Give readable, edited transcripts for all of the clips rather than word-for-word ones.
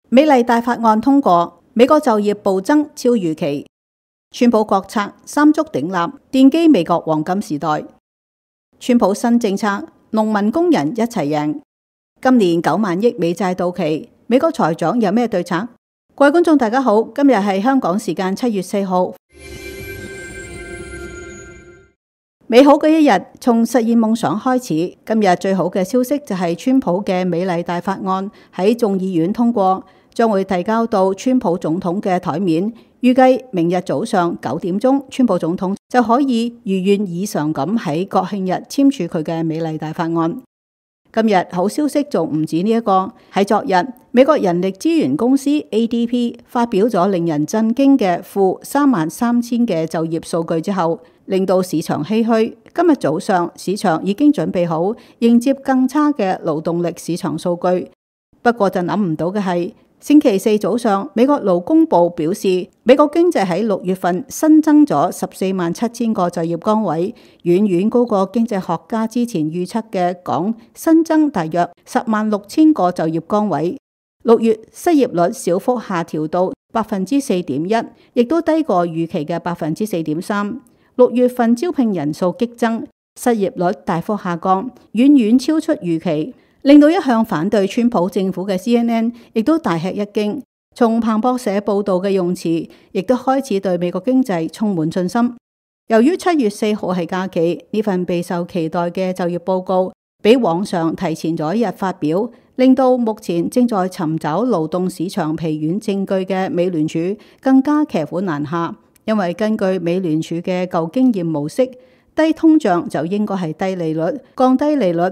美麗大法案通過，美國就業暴增超預期。川普國策三足鼎立，奠基美國黃金時代。川普新政策，農民工人一齊贏。今年9萬億美債到期，美國財長有咩對策？各位觀眾大家好，今日係香港時間7月4號。美好嘅一日，從實現夢想開始。今日最好嘅消息就係川普嘅美麗大法案喺眾議院通過，將會提交到川普總統嘅台面。預計明日早上9點鐘，川普總統就可以如願以償咁喺國慶日簽署佢嘅美麗大法案。今日好消息仲唔止呢一個，喺昨日美國人力資源公司 ADP 發表咗令人震驚嘅負33000嘅就業數據之後，令到市場唏噓。今日早上市場已經準備好迎接更差嘅勞動力市場數據，不過就諗唔到嘅係，星期四早上美國勞工部表示，美國經濟喺6月份新增咗147000個就業崗位，遠遠高過經濟學家之前預測嘅講新增大約106000個就業崗位。6月失業率小幅下調到4.1%，亦都低過預期嘅4.3%。6月份招聘人數激增，失業率大幅下降，遠遠超出預期，令到一向反對川普政府嘅 CNN 亦都大吃一驚。從彭博社報道嘅用詞，亦都開始對美國經濟充滿信心。由於7月4號係假期，呢份備受期待嘅就業報告比往常提前咗一日發表，令到目前正在尋找勞動市場疲軟證據嘅美聯儲更加騎虎難下。因為根據美聯儲嘅舊經驗模式，低通脹就應該係低利率，降低利率。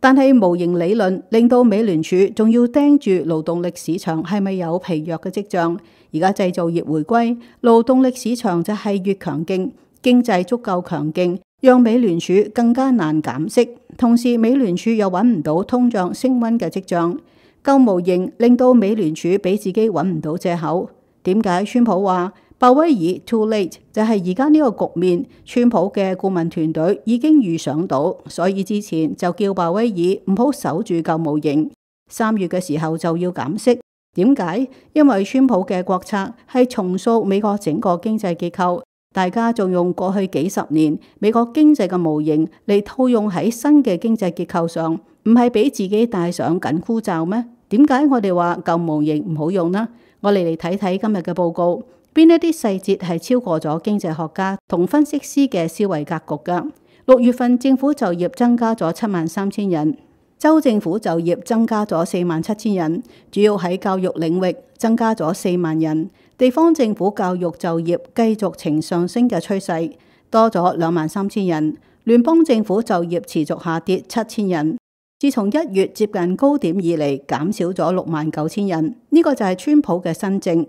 但係模型理論令到美聯儲仲要盯住勞動力市場係咪有疲弱嘅跡象。而家製造業回歸，勞動力市場就係越強勁，經濟足夠強勁，讓美聯儲更加難減息。同時美聯儲又揾唔到通脹升溫嘅跡象，舊模型令到美聯儲俾自己揾唔到藉口。點解川普話鮑威爾 too late？ 就係而家呢個局面，川普嘅顧問團隊已經預想到，所以之前就叫鮑威爾唔好守住舊模型，3月嘅時候就要減息。點解？因為川普嘅國策係重塑美國整個經濟結構，大家仲用過去幾十年美國經濟嘅模型嚟套用喺新嘅經濟結構上，唔係俾自己戴上緊箍咒咩？點解我哋話舊模型唔好用呢？我哋嚟睇睇今日嘅報告，邊一啲細節係超過咗經濟學家同分析師嘅思維格局㗎。6月份政府就業增加咗73000人，州政府就業增加咗47000人，主要喺教育領域增加咗4萬人，地方政府教育就業繼續呈上升嘅趨勢，多咗23000人，聯邦政府就業持續下跌7000人。自從1月接近高點以嚟，減少咗69000人，呢個就係川普嘅新政。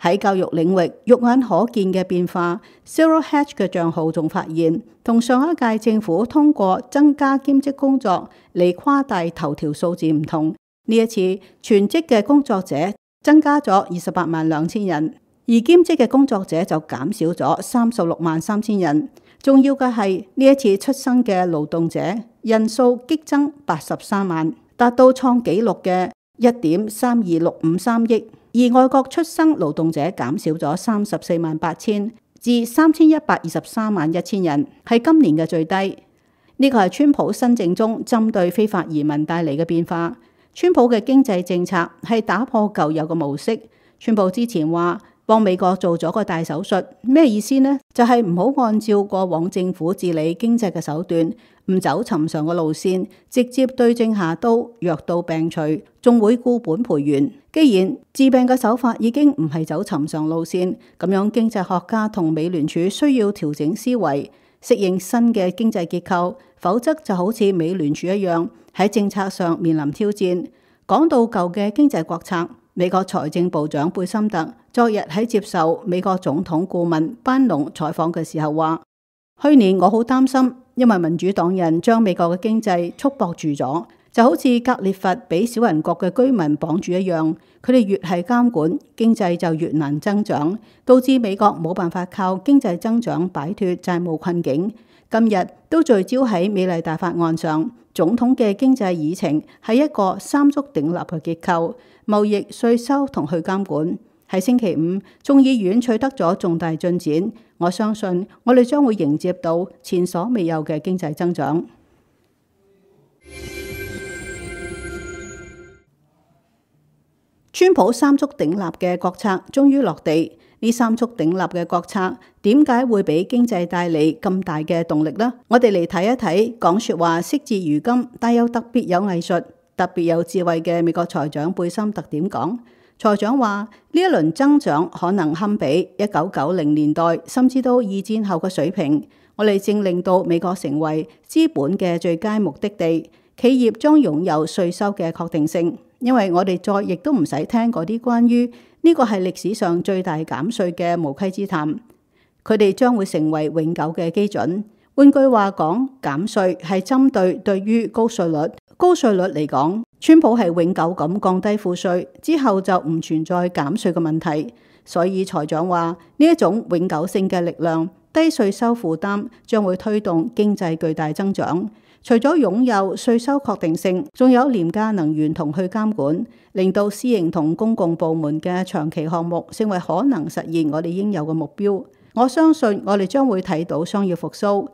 喺教育領域，肉眼可見嘅變化 ，Zero Hedge 嘅賬號仲發現，同上一屆政府通過增加兼職工作嚟誇大頭條數字唔同。呢一次全職嘅工作者增加咗282000人，而兼職嘅工作者就減少咗363000人。重要嘅係呢一次出生嘅勞動者人數激增83萬，達到創紀錄嘅1.32653億。而外國出生勞動者減少咗348000至31231000人，係今年嘅最低。呢個係川普新政中針對非法移民帶嚟嘅變化。川普嘅經濟政策係打破舊有嘅模式。川普之前話幫美國做咗個大手術，咩意思呢？就係唔好按照過往政府治理經濟嘅手段，唔走尋常嘅路線，直接對症下刀，藥到病除，仲會固本培元。既然治病嘅手法已經唔係走尋常路線，咁樣經濟學家同美聯儲需要調整思維，適應新嘅經濟結構，否則就好似美聯儲一樣喺政策上面臨挑戰。講到舊嘅經濟國策，美國財政部長貝森特昨日喺接受美國總統顧問班農採訪嘅時候話，去年我好擔心，因為民主黨人將美國嘅經濟束縛住咗，就好似格列佛俾小人國嘅居民綁住一樣，佢哋越係監管，經濟就越難增長，導致美國冇辦法靠經濟增長擺脫債務困境。今日都聚焦喺美麗大法案上，總統嘅經濟議程係一個三足鼎立嘅結構，貿易、稅收同去監管。喺星期五，眾議院取得咗重大進展，我相信我哋將會迎接到前所未有嘅經濟增長。川普三足鼎立嘅國策終於落地，呢三足鼎立嘅國策點解會俾經濟帶嚟咁大嘅動力呢？我哋嚟睇一睇講說話惜字如金，但又特別有藝術、特別有智慧嘅美國財長貝森特點講。財長話呢一輪增長可能堪比1990年代甚至到二戰後嘅水平，我哋正令到美國成為資本嘅最佳目的地，企業將擁有稅收嘅確定性。因為我哋再亦都唔使聽嗰啲關於呢個係歷史上最大減稅嘅無稽之談，佢哋將會成為永久嘅基準。換句話講，減稅係針對於高稅率嚟講，川普係永久咁降低賦稅，之後就唔存在減稅嘅問題。所以財長話呢一種永久性嘅力量，低稅收負擔將會推動經濟巨大增長。除咗擁有稅收確定性，仲有廉價能源同去監管，令到私營同公共部門嘅長期項目成為可能實現我哋應有嘅目標。我相信我哋將會睇到商業復甦。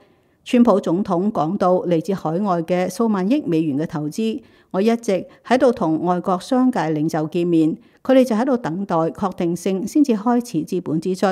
川普總統講到嚟自海外嘅數萬億美元嘅投資，我一直喺度同外國商界領袖見面，佢哋就喺度等待確定性先至開始資本支出。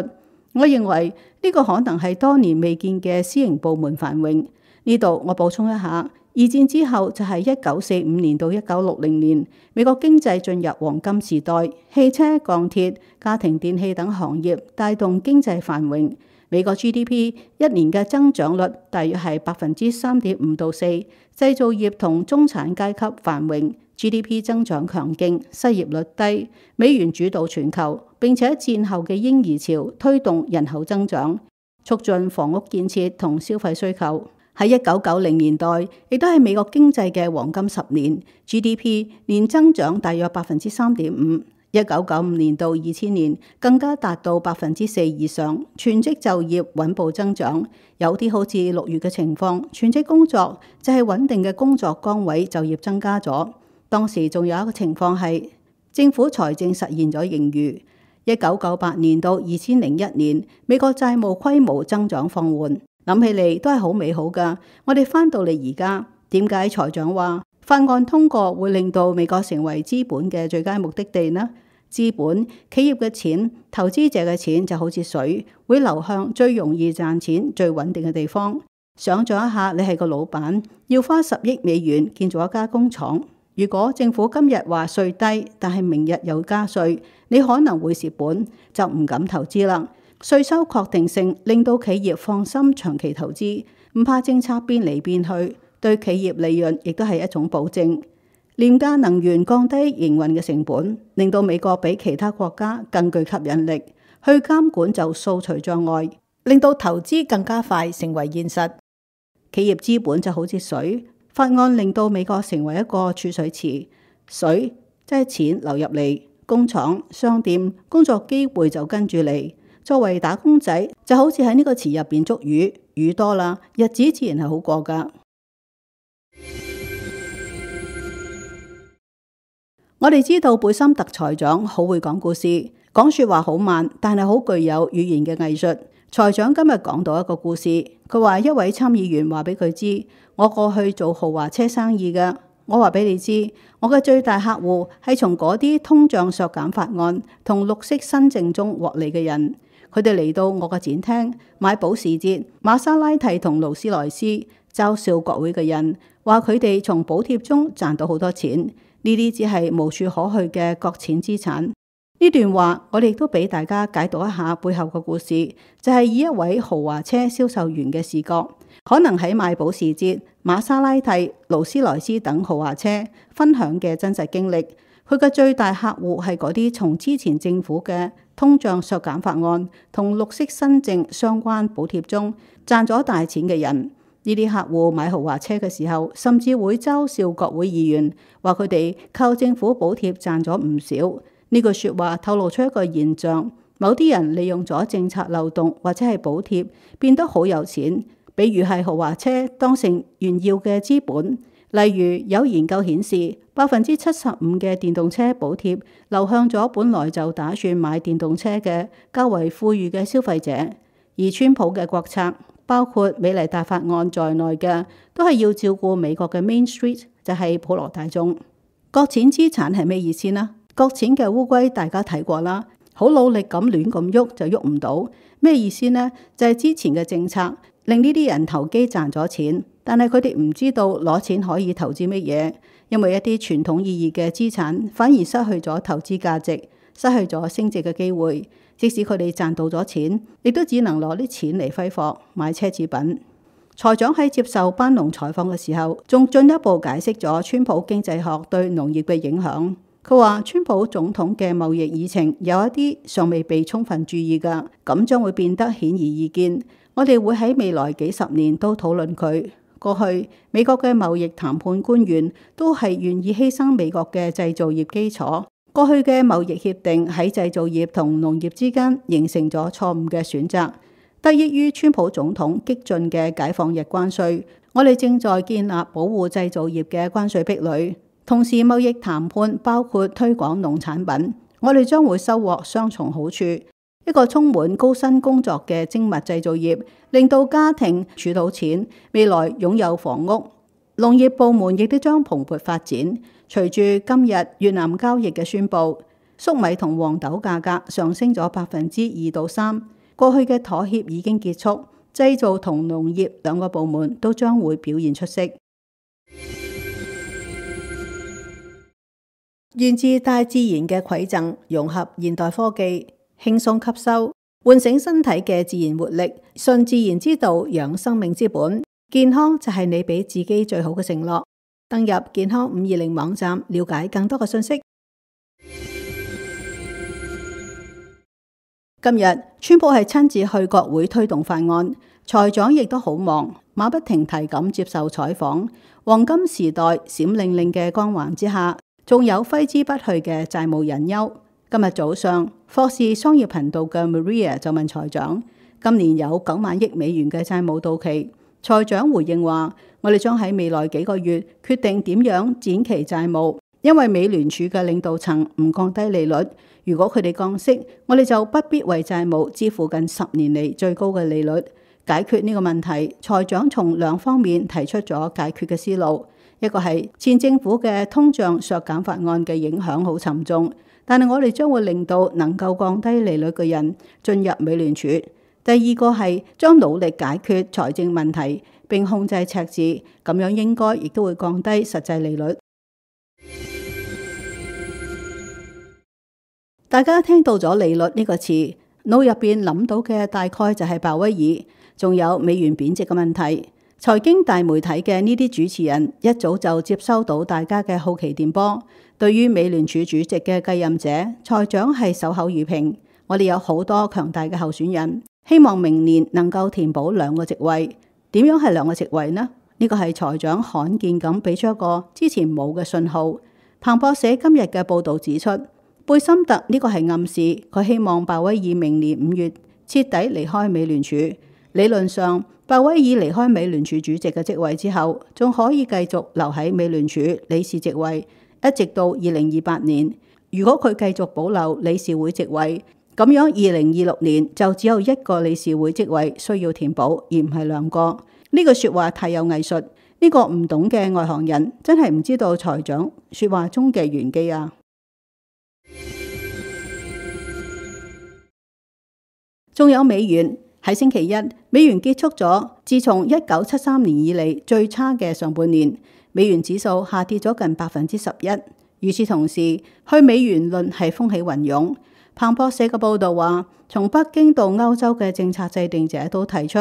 我認為呢個可能係多年未見嘅私營部門繁榮。呢度我補充一下，二戰之後就係1945年到1960年，美國經濟進入黃金時代，汽車、鋼鐵、家庭電器等行業帶動經濟繁榮。美國 GDP 一年嘅增長率大約係3.5%到4%，製造業同中產階級繁榮 ，GDP 增長強勁，失業率低，美元主導全球，並且戰後嘅嬰兒潮推動人口增長，促進房屋建設同消費需求。喺1990年代，亦都係美國經濟嘅黃金10年 ，GDP 年增長大約3.5%。1995年到2000年更加達到4%以上，全職就業穩步增長。有啲好似6月嘅情況，全職工作就係穩定嘅工作崗位就業增加咗。當時仲有一個情況係政府財政實現咗盈餘。1998年到2001年，美國債務規模增長放緩。諗起嚟都係好美好㗎。我哋返到嚟而家，點解財長話法案通過會令到美國成為資本嘅最佳目的地呢？資本、企業嘅錢、投資者嘅錢就好似水，會流向最容易賺錢、最穩定嘅地方。想像一下，你係個老闆，要花10億美元建造一家工廠。如果政府今日話稅低，但係明日又加稅，你可能會蝕本，就唔敢投資啦。稅收確定性令到企業放心長期投資，唔怕政策變嚟變去，對企業利潤亦都係一種保證。廉價能源降低營運嘅成本，令到美國比其他國家更具吸引力。去監管就掃除障礙，令到投資更加快成為現實。企業資本就好似水，法案令到美國成為一個儲水池，水即係錢流入嚟，工廠、商店、工作機會就跟住嚟。作為打工仔，就好似喺呢個池入邊捉魚，魚多啦，日子自然係好過㗎。我哋知道貝森特財長好會講故事，講說話好慢，但係好具有語言嘅藝術。財長今日講到一個故事，佢話一位參議員話俾佢知，我過去做豪華車生意㗎。我話俾你知，我嘅最大客戶係從嗰啲通脹削減法案同綠色新政中獲利嘅人。佢哋嚟到我嘅展廳買保時捷、瑪莎拉蒂同勞斯萊斯，嘲笑國會嘅人，話佢哋從補貼中賺到好多錢，呢啲只係無處可去嘅國錢資產。呢段話我哋亦都俾大家解讀一下背後嘅故事，就係以一位豪華車銷售員嘅視角，可能喺賣保時捷、瑪莎拉蒂、勞斯萊斯等豪華車分享嘅真實經歷。佢嘅最大客戶係嗰啲從之前政府嘅通脹削減法案同綠色新政相關補貼中賺咗大錢嘅人。呢啲客戶買豪華車嘅時候，甚至會嘲笑國會議員，話佢哋靠政府補貼賺咗唔少。呢句説話透露出一個現象：某啲人利用咗政策漏洞或者係補貼，變得好有錢。比如係豪華車當成炫耀嘅資本，例如有研究顯示，75%嘅電動車補貼流向咗本來就打算買電動車嘅較為富裕嘅消費者，而川普嘅國策包括美麗達法案在內嘅，都係要照顧美國嘅 Main Street， 就係普羅大眾。擱淺資產係咩意思呢？擱淺嘅烏龜大家睇過啦，好努力咁亂咁喐就喐唔到，咩意思呢？就係之前嘅政策令呢啲人投機賺咗錢。但係佢哋唔知道攞錢可以投資乜嘢，因為一啲傳統意義嘅資產反而失去咗投資價值，失去咗升值嘅機會。即使佢哋賺到咗錢，亦都只能攞啲錢嚟揮霍買奢侈品。財長喺接受班農採訪嘅時候，仲進一步解釋咗川普經濟學對農業嘅影響。佢話川普總統嘅貿易議程有一啲尚未被充分注意㗎，咁將會變得顯而易見。我哋會喺未來幾十年都討論佢。過去美國嘅貿易談判官員都係願意犧牲美國嘅製造業基礎。過去嘅貿易協定喺製造業同農業之間形成咗錯誤嘅選擇，得益於川普總統激進嘅解放日關稅，我哋正在建立保護製造業嘅關稅壁壘。同時貿易談判包括推廣農產品，我哋將會收穫雙重好處。一個充滿高薪工作嘅精密製造業，令到家庭儲到錢，未來擁有房屋。農業部門亦都將蓬勃發展。隨住今日越南交易嘅宣佈，粟米同黃豆價格上升咗2%到3%。過去嘅妥協已經結束，製造同農業兩個部門都將會表現出色。源自大自然嘅饋贈，融合現代科技，輕鬆吸收，喚醒身體嘅自然活力，順自然之道，養生命之本。健康就係你俾自己最好嘅承諾。登入健康520網站，了解更多嘅信息。今日川普係親自去國會推動法案，財長亦都好忙，馬不停蹄咁接受採訪。黃金時代閃靈靈嘅光環之下，仲有揮之不去嘅債務隱憂。今日早上，霍士商業頻道嘅 Maria 就問財長，今年有9萬億美元嘅債務到期。財長回應話，我哋將喺未來幾個月決定點樣展期債務，因為美聯儲嘅領導層唔降低利率，如果佢哋降息，我哋就不必為債務支付近10年嚟最高嘅利率。解決呢個問題，財長從2方面提出咗解決嘅思路。一個係前政府嘅通脹削減法案嘅影響好沉重，但係我哋將會令到能夠降低利率嘅人進入美聯儲。第二個係將努力解決財政問題並控制赤字，咁樣應該亦都會降低實際利率。大家聽到咗利率呢個詞，腦入邊諗到嘅大概就係鮑威爾，仲有美元貶值嘅問題。財經大媒體嘅呢啲主持人一早就接收到大家嘅好奇電波。對於美聯儲主席嘅繼任者，財長係守口如瓶。我哋有好多強大嘅候選人，希望明年能夠填補2個席位。點樣係2個席位呢？呢個係財長罕見咁俾出一個之前冇嘅信號。彭博社今日嘅報導指出，貝森特呢個係暗示佢希望鮑威爾明年5月徹底離開美聯儲。理論上，鮑威爾離開美聯儲主席嘅職位之後，仲可以繼續留喺美聯儲理事職位，一直到2028年。如果佢繼續保留理事會職位，咁樣2026年就只有1個理事會職位需要填補，而唔係2個。呢句說話太有藝術，呢個唔懂嘅外行人真係唔知道財長說話中嘅玄機啊！仲有美元。喺星期一，美元結束咗自從1973年以嚟最差嘅上半年，美元指數下跌咗近11%。與此同時，去美元論係風起雲湧。彭博社嘅報導話，從北京到歐洲嘅政策制定者都提出，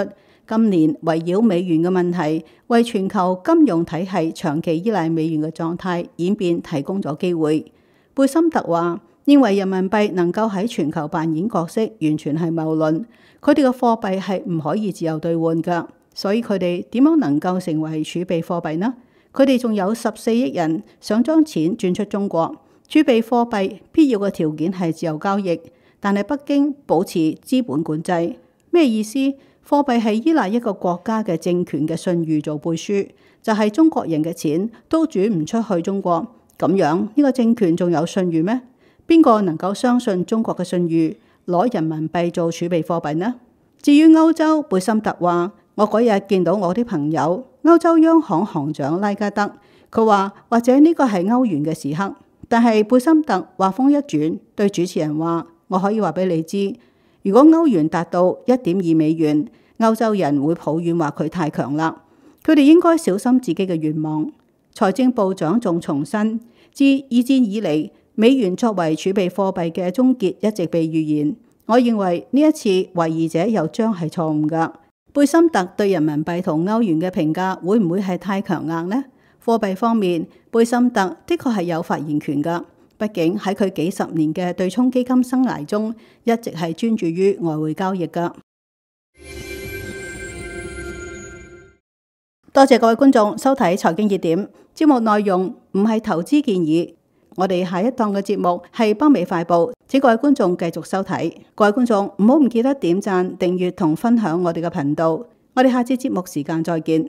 今年圍繞美元嘅問題，為全球金融體系長期依賴美元嘅狀態演變提供咗機會。貝森特話，認為人民幣能夠喺全球扮演角色，完全係謬論。佢哋嘅貨幣係唔可以自由兌換㗎，所以佢哋點樣能夠成為儲備貨幣呢？佢哋仲有14億人想將錢轉出中國。儲備貨幣必要嘅條件係自由交易，但係北京保持資本管制。咩意思？貨幣係依賴一個國家嘅政權嘅信譽做背書，就係中國人嘅錢都轉唔出去中國，咁樣呢個政權仲有信譽咩？邊個能夠相信中國嘅信譽，攞人民幣做儲備貨幣呢？至於歐洲，貝森特話：我嗰日見到我啲朋友，歐洲央行行長拉加德，佢話或者呢個係歐元嘅時刻。但係貝森特話風一轉，對主持人話：我可以話俾你知，如果歐元達到1.2美元，歐洲人會抱怨話佢太強啦，佢哋應該小心自己嘅願望。財政部長仲重申，自二戰以嚟，美元作為儲備貨幣嘅終結一直被預言。我認為呢一次懷疑者又將係錯誤㗎。貝森特對人民幣同歐元嘅評價會唔會係太強硬呢？貨幣方面，貝森特的確係有發言權㗎。畢竟喺佢幾十年嘅對沖基金生涯中，一直係專注於外匯交易㗎。多謝各位觀眾收睇財經熱點，節目內容唔係投資建議。我哋下一檔嘅節目係北美快報，請各位觀眾繼續收睇。各位觀眾唔好唔記得點讚、訂閱同分享我哋嘅頻道。我哋下次節目時間再見。